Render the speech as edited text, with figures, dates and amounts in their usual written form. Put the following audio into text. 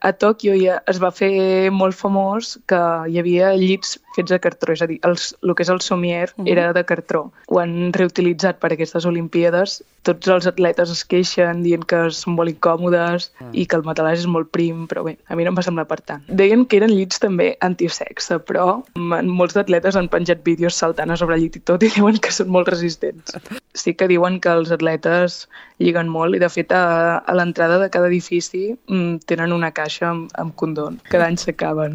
A Tòquio ja es va fer molt famós que hi havia llits fets de cartró, és a dir, el que és el somier era de cartró. Ho han reutilitzat per aquestes Olimpíades. Tots els atletes es queixen dient que són molt incòmodes i que el matalàs és molt prim, però bé, a mi no em va semblar per tant. Deien que eren llits també antisexe, però molts atletes han penjat vídeos saltant a sobre el llit i tot i diuen que són molt resistents. Sí que diuen que els atletes lliguen molt i de fet a l'entrada de cada edifici tenen una caixa amb condons. Cada any s'acaben.